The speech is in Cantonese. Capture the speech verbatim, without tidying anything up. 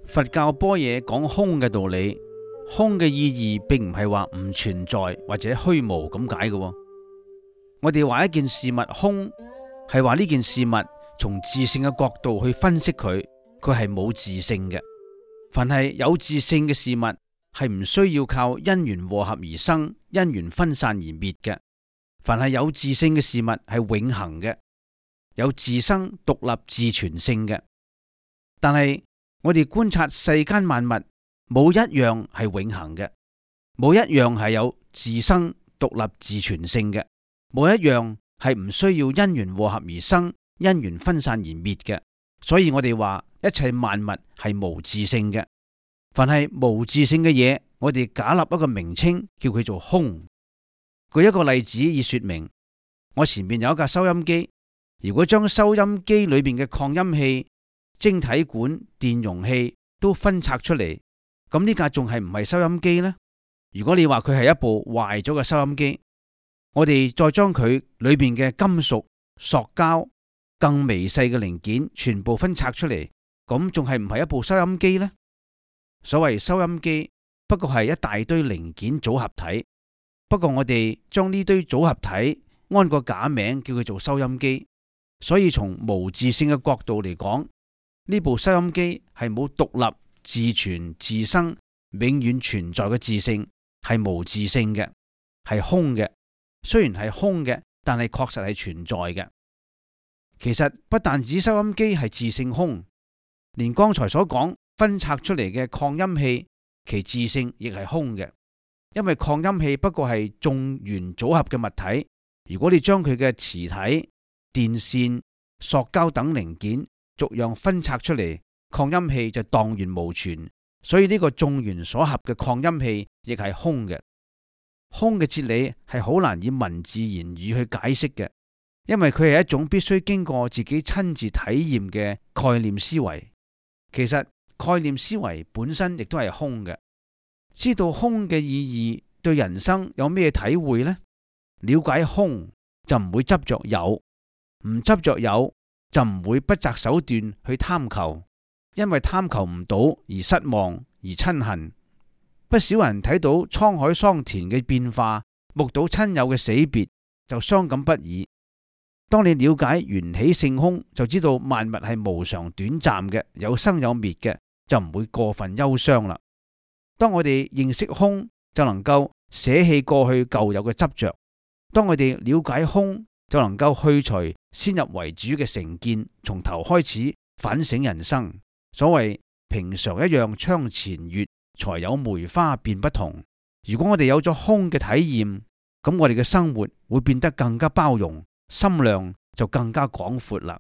佛教般若講空嘅道理，空嘅意義並唔係話唔存在或者虛無咁解嘅。我哋話一件事物空，係話呢件事物從自性嘅角度去分析佢，佢係冇自性嘅。凡係有自性嘅事物，係唔需要靠因緣和合而生，因緣分散而滅嘅。凡係有自性嘅事物係永恆嘅，有自生獨立自存性嘅。但係我哋觀察世間萬物，冇一樣係永恆嘅，冇一樣係有自生獨立自存性嘅，冇一樣係唔需要因緣和合而生，因緣分散而滅嘅。所以我哋話一切萬物係無自性嘅。凡係無自性嘅嘢，我哋假立一個名稱，叫佢做空。舉一個例子以說明。我前面有一架收音機，如果將收音機裏邊嘅擴音器、晶體管、電容器都分拆出嚟，咁呢架仲係唔係收音機呢？如果你話佢係一部壞咗嘅收音機，我哋再將佢裏邊嘅金屬、塑膠、更微細嘅零件全部分拆出嚟，咁仲係唔係一部收音機呢？所謂收音機不過係一大堆零件組合體，不過我哋將呢堆組合體安個假名叫佢做收音機。所以從無自性嘅角度嚟講，呢部收音機係冇獨立自存自生永遠存在嘅自性，係無自性嘅，係空嘅。雖然係空嘅，但係確實係存在嘅。其實不但止收音機係自性空，連剛才所講分拆出嚟嘅擴音器，其自性亦係空嘅。因為擴音器不過係眾緣組合嘅物體，如果你將佢嘅磁體、電線、塑膠等零件逐樣分拆出嚟，擴音器就蕩然無存。所以呢個眾緣所合嘅擴音器亦係空嘅。空嘅哲理係好難以文字言語去解釋嘅，因為佢係一種必須經過自己親自體驗嘅概念思維。其實概念思維本身亦都係空嘅。知道空嘅意義，對人生有咩體會呢？了解空就唔會執着有，唔執着有就唔會不擇手段去貪求，因為貪求唔到而失望而親恨。不少人睇到滄海桑田嘅變化，目睹親友嘅死別，就傷感不已。當你了解緣起性空，就知道萬物係無常短暫嘅，有生有滅嘅，就唔會過分憂傷啦。當我哋認識空，就能夠捨棄過去舊有嘅執着。當我哋了解空，就能夠去除先入為主嘅成見，從頭開始反省人生。所謂平常一樣窗前月，才有梅花變不同。如果我哋有咗空嘅體驗，咁我哋嘅生活會變得更加包容，心量就更加廣闊啦。